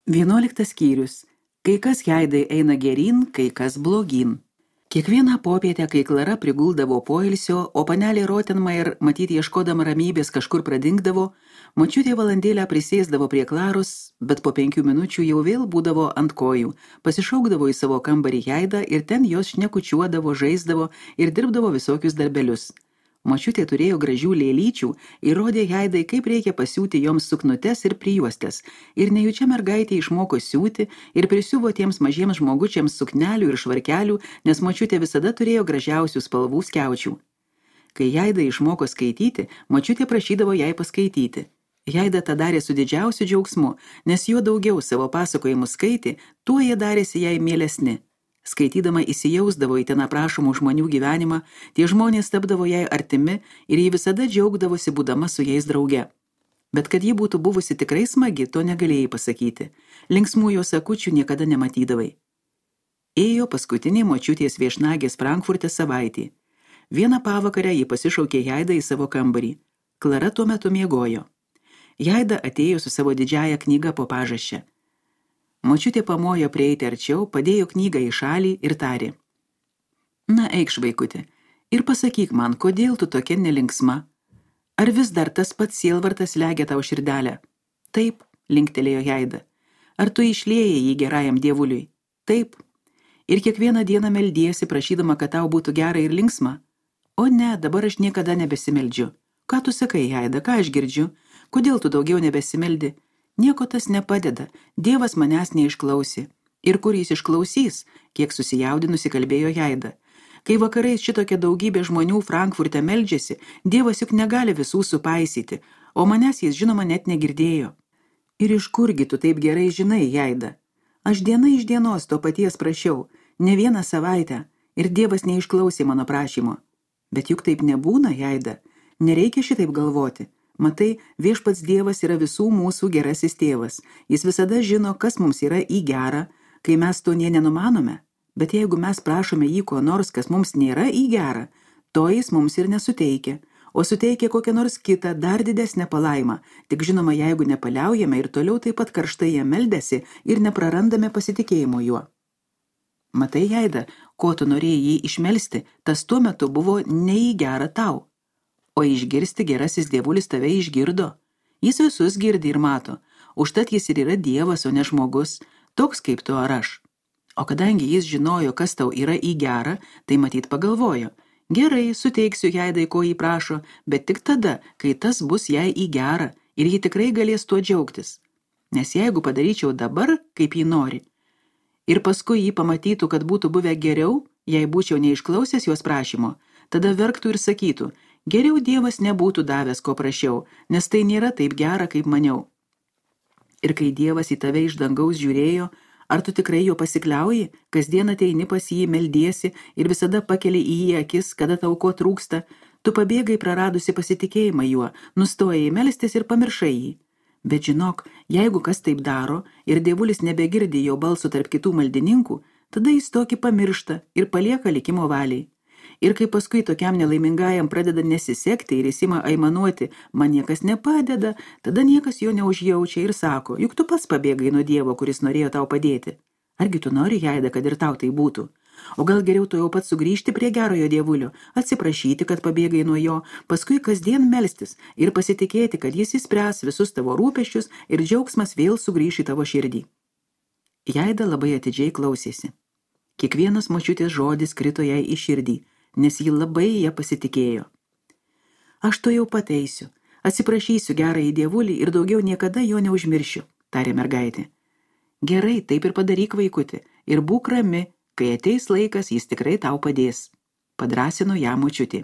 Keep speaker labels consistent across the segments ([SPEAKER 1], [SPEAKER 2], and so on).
[SPEAKER 1] 11 skyrius. Kai kas Jaidai eina geryn, kai kas blogyn. Kiekvieną popietę, kai Klara priguldavo poilsio, o panelė Rottenmeier, matyti ieškodama ramybės, kažkur pradingdavo, močiutė valandėlę prisėsdavo prie Klaros, bet po 5 minučių jau vėl būdavo ant kojų, pasišaukdavo į savo kambarį Jaidą ir ten jos šnekučiuodavo, žaisdavo ir dirbdavo visokius darbelius. Močiutė turėjo gražių lėlyčių ir rodė Jaidai, kaip reikia pasiūti joms suknutes ir prijuostes, ir nejučia mergaitė išmoko siūti ir prisiuvo tiems mažiems žmogučiams suknelių ir švarkelių, nes močiutė visada turėjo gražiausių spalvų skiaučių. Kai Jaida išmoko skaityti, močiutė prašydavo jai paskaityti. Jaida tą darė su didžiausiu džiaugsmu, nes juo daugiau savo pasakojimų skaitė, tuo jie darėsi jai mielesni. Skaitydama įsijausdavo į ten aprašomų žmonių gyvenimą, tie žmonės tapdavo jai artimi ir ji visada džiaugdavosi būdama su jais drauge. Bet kad ji būtų buvusi tikrai smagi, to negalėjai pasakyti. Linksmų jos akučių niekada nematydavai. Ėjo paskutinė močiutės viešnagės Frankfurte savaitė. Vieną pavakarę ji pasišaukė Jaidą į savo kambarį. Klara tuo metu miegojo. Jaida atėjo su savo didžiąja knyga po pažasčia. Močiutė pamojo prieiti arčiau, padėjo knygą į šalį ir tarė: Na, eikš, vaikutė, ir pasakyk man, kodėl tu tokia nelinksma? Ar vis dar tas pats sielvartas legia tau širdelę? Taip, linktelėjo Jaida. Ar tu išliejai jį gerajam dievuliui? Taip. Ir kiekvieną dieną meldiesi, prašydama, kad tau būtų gera ir linksma? O ne, dabar aš niekada nebesimeldžiu. Ką tu sakai, Jaida, ką aš girdžiu? Kodėl tu daugiau nebesimeldi? Nieko tas nepadeda, Dievas manęs neišklausė. Ir kur jis išklausys, kiek susijaudinusi kalbėjo Jaida. Kai vakarais šitokia daugybė žmonių Frankfurte meldžiasi, Dievas juk negali visų supaisyti, o manęs jis žinoma net negirdėjo. Ir iš kurgi tu taip gerai žinai, Jaida? Aš diena iš dienos to paties prašiau, ne vieną savaitę, ir Dievas neišklausė mano prašymo. Bet juk taip nebūna, Jaida, nereikia šitaip galvoti. Matai, viešpats Dievas yra visų mūsų gerasis tėvas. Jis visada žino, kas mums yra į gerą, kai mes to nė nenumanome. Bet jeigu mes prašome jį ko nors, kas mums nėra į gerą, to jis mums ir nesuteikia, o suteikia kokią nors kitą, dar didesnę palaimą. Tik žinoma, jeigu nepaliaujame ir toliau taip pat karštai jam meldėsi ir neprarandame pasitikėjimo juo. Matai, Jaida, ko tu norėjai jį išmelsti, tas tuo metu buvo ne į gerą tau. O išgirsti gerasis dievulis tave išgirdo. Jis visus girdi ir mato. Užtat jis ir yra Dievas, o ne žmogus, toks kaip tu ar aš. O kadangi jis žinojo, kas tau yra į gerą, tai matyt pagalvojo: Gerai, suteiksiu Jaidai, ko jį prašo, bet tik tada, kai tas bus jai į gerą ir ji tikrai galės tuo džiaugtis. Nes jeigu padaryčiau dabar, kaip jį nori, ir paskui jį pamatytų, kad būtų buvę geriau, jei būčiau neišklausęs jos prašymo, tada verktų ir sakytų: Geriau Dievas nebūtų davęs, ko prašiau, nes tai nėra taip gera, kaip maniau. Ir kai Dievas į tave iš dangaus žiūrėjo, ar tu tikrai jo pasikliauji, kasdien ateini pas jį, meldiesi ir visada pakeli į jį akis, kada tau ko trūksta, tu pabėgai praradusi pasitikėjimą juo, nustojai melstis ir pamiršai jį. Bet žinok, jeigu kas taip daro ir dievulis nebegirdi jo balso tarp kitų maldininkų, tada jis tokį pamiršta ir palieka likimo valiai. Ir kai paskui tokiam nelaimingajam pradeda nesisekti ir jis ima aimanuoti, man niekas nepadeda, tada niekas jo neužjaučia ir sako: Juk tu pats pabėgai nuo Dievo, kuris norėjo tau padėti. Argi tu nori, Jaida, kad ir tau tai būtų? O gal geriau tu jau pats sugrįžti prie gerojo dievulio, atsiprašyti, kad pabėgai nuo jo, paskui kasdien melstis ir pasitikėti, kad jis išspręs visus tavo rūpesčius ir džiaugsmas vėl sugrįš į tavo širdį. Jaida labai atidžiai klausėsi. Kiekvienas močiutės žodis krito jai į širdį, nes ji labai ją pasitikėjo. Aš to jau pateisiu, atsiprašysiu gerąjį dievulį ir daugiau niekada jo neužmiršiu, tarė mergaitė. Gerai, taip ir padaryk, vaikutė, ir būk rami, kai ateis laikas, jis tikrai tau padės, padrąsino ją močiutė.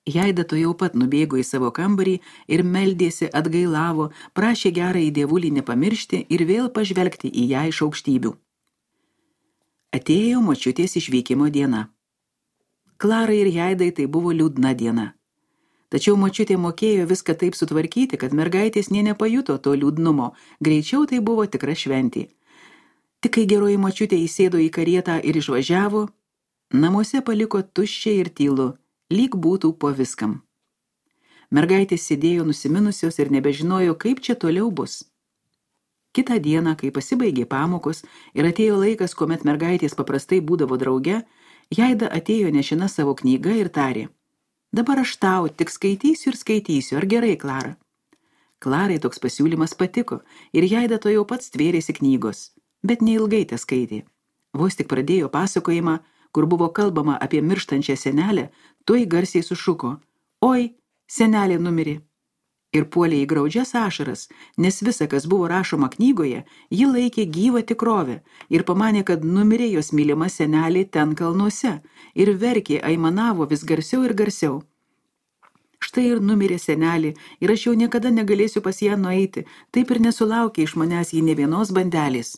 [SPEAKER 1] Jaida to jau pat nubėgo į savo kambarį ir meldėsi, atgailavo, prašė gerąjį dievulį nepamiršti ir vėl pažvelgti į ją iš aukštybių. Atėjo močiutės išvykimo diena. Klarai ir Jaidai tai buvo liūdna diena. Tačiau močiutė mokėjo viską taip sutvarkyti, kad mergaitės nė nepajuto to liūdnumo, greičiau tai buvo tikra šventė. Tik kai geroji močiutė įsėdo į karietą ir išvažiavo, namuose paliko tuščia ir tylu, lyg būtų po viskam. Mergaitės sėdėjo nusiminusios ir nebežinojo, kaip čia toliau bus. Kitą dieną, kai pasibaigė pamokos ir atėjo laikas, kuomet mergaitės paprastai būdavo drauge, Jaida atėjo nešina savo knygą ir tarė: Dabar aš tau tik skaitysiu ir skaitysiu, ar gerai, Klara? Klarai toks pasiūlymas patiko ir Jaida to jau pats tvėrėsi knygos, bet neilgai te skaitė. Vos tik pradėjo pasakojimą, kur buvo kalbama apie mirštančią senelę, tuoj garsiai sušuko: Oi, senelė numirė. Ir puolė į graudžias ašaras, nes visa, kas buvo rašoma knygoje, ji laikė gyvą tikrovę ir pamanė, kad numirė jos mylima senelė ten kalnuose ir verkė, aimanavo vis garsiau ir garsiau. Štai ir numirė senelė ir aš jau niekada negalėsiu pas ją nueiti, taip ir nesulaukė iš manęs ji ne vienos bandelės.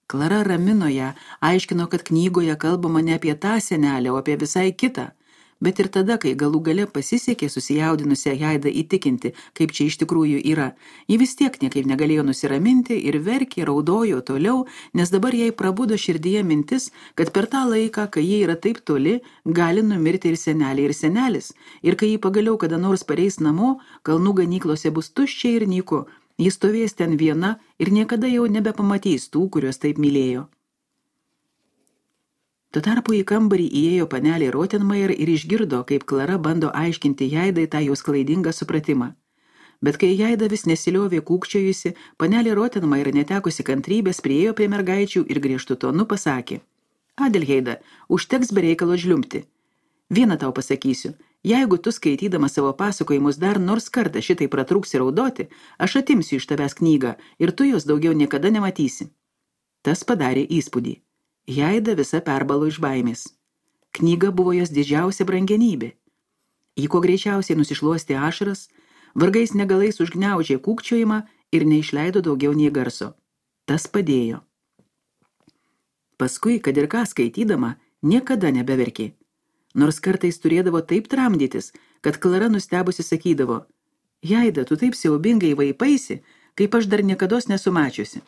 [SPEAKER 1] Klara ramino ją, aiškino, kad knygoje kalbama ne apie tą senelę, o apie visai kitą. Bet ir tada, kai galų gale pasisekė susijaudinusią Jaidą įtikinti, kaip čia iš tikrųjų yra, ji vis tiek niekaip negalėjo nusiraminti ir verkė, raudojo toliau, nes dabar jai prabudo širdyje mintis, kad per tą laiką, kai jie yra taip toli, gali numirti ir senelė, ir senelis, ir kai jį pagaliau kada nors pareis namo, kalnų ganyklose bus tuščia ir nyku, jis stovės ten viena ir niekada jau nebepamatys tų, kuriuos taip mylėjo. Tuo tarpu į kambarį įėjo panelė Rottenmeier ir išgirdo, kaip Klara bando aiškinti Jaidai tą jos klaidingą supratimą. Bet kai Jaida vis nesiliovė kūkčiojusi, panelė Rottenmeier netekusi kantrybės priėjo prie mergaičių ir griežtu tonu pasakė: Adelheida, užteks be reikalo žliumpti. Vieną tau pasakysiu, jeigu tu skaitydama savo pasakojimus dar nors kartą šitai pratrūksi raudoti, aš atimsiu iš tavęs knygą ir tu jos daugiau niekada nematysi. Tas padarė įspūdį. Jaida visa perbalo iš baimės. Knyga buvo jos didžiausia brangenybė. Ji kuo greičiausiai nusišluostė ašaras, vargais negalais užgniaužė kūkčiojimą ir neišleido daugiau nei garso. Tas padėjo. Paskui, kad ir ką skaitydama, niekada nebeverkė. Nors kartais turėdavo taip tramdytis, kad Klara nustebusi sakydavo: Jaida, tu taip siaubingai vaipaisi, kaip aš dar niekados nesu mačiusi.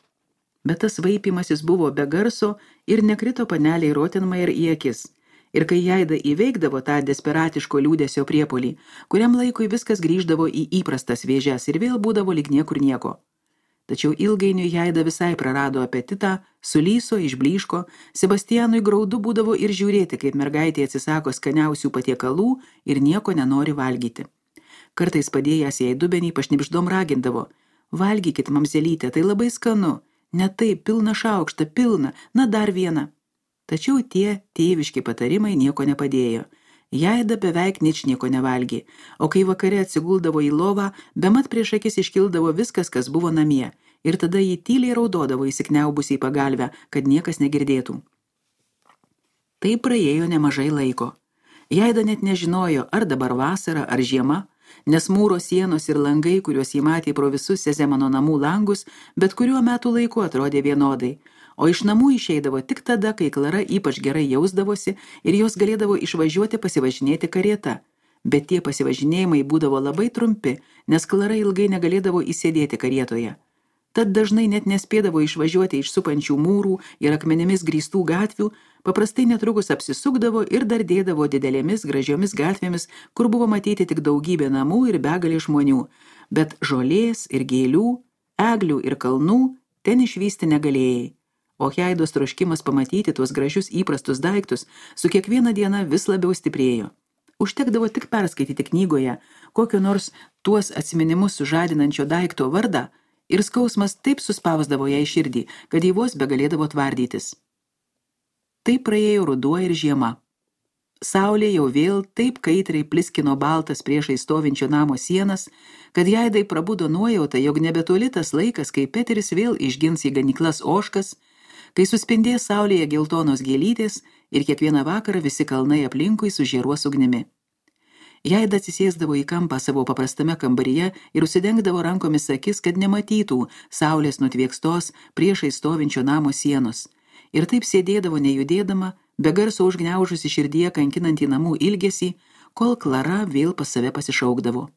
[SPEAKER 1] Bet tas vaipimasis buvo be garso ir nekrito paneliai Rottenmeier į akis. Ir kai Jaida įveikdavo tą desperatiško liūdesio priepolį, kuriam laikui viskas grįždavo į įprastas vėžes ir vėl būdavo lyg niekur nieko. Tačiau ilgainiui Jaida visai prarado apetitą, sulyso, išblyško, Sebastianui graudu būdavo ir žiūrėti, kaip mergaitė atsisako skaniausių patiekalų ir nieko nenori valgyti. Kartais padėjęs jai dubenį pašnibždom ragindavo: Valgykit, mamzelytė, tai labai skanu. Ne taip, pilna šaukšta, pilna, na dar viena. Tačiau tie tėviški patarimai nieko nepadėjo. Jaida beveik ničnieko nevalgė, o kai vakare atsiguldavo į lovą, bemat prieš akis iškildavo viskas, kas buvo namie, ir tada jį tyliai raudodavo įsikniaubusi į pagalvę, kad niekas negirdėtų. Tai praėjo nemažai laiko. Jaida net nežinojo, ar dabar vasara, ar žiema, nes mūro sienos ir langai, kuriuos jį matė pro visus Sezemano namų langus, bet kuriuo metų laiku atrodė vienodai, o iš namų išeidavo tik tada, kai Klara ypač gerai jausdavosi ir jos galėdavo išvažiuoti pasivažinėti karieta. Bet tie pasivažinėjimai būdavo labai trumpi, nes Klara ilgai negalėdavo įsėdėti karietoje. Tad dažnai net nespėdavo išvažiuoti iš supančių mūrų ir akmenimis grįstų gatvių, paprastai netrukus apsisukdavo ir dar dėdavo didelėmis gražiomis gatvėmis, kur buvo matyti tik daugybė namų ir begalė žmonių, bet žolės ir gėlių, eglių ir kalnų ten išvysti negalėjai. O Jaidos troškimas pamatyti tuos gražius įprastus daiktus su kiekviena diena vis labiau stiprėjo. Užtekdavo tik perskaityti knygoje kokio nors tuos atsiminimus sužadinančio daikto vardą, ir skausmas taip suspausdavo jai širdį, kad jį vos begalėdavo tvardytis. Taip praėjo ruduo ir žiema. Saulė jau vėl taip kaitriai pliskino baltas priešai stovinčio namo sienas, kad Jaidai prabudo nuojauta, jog nebetoli tas laikas, kai Peteris vėl išgins į ganyklas ožkas, kai suspindės saulėje geltonos gėlytės ir kiekvieną vakarą visi kalnai aplinkui sužėruos ugnimi. Jaida atsisėsdavo į kampą savo paprastame kambaryje ir užsidengdavo rankomis akis, kad nematytų saulės nutviekstos priešai stovinčio namo sienos. Ir taip sėdėdavo nejudėdama, be garso užgniaužusi širdyje kankinantį namų ilgesį, kol Klara vėl pas save pasišaukdavo.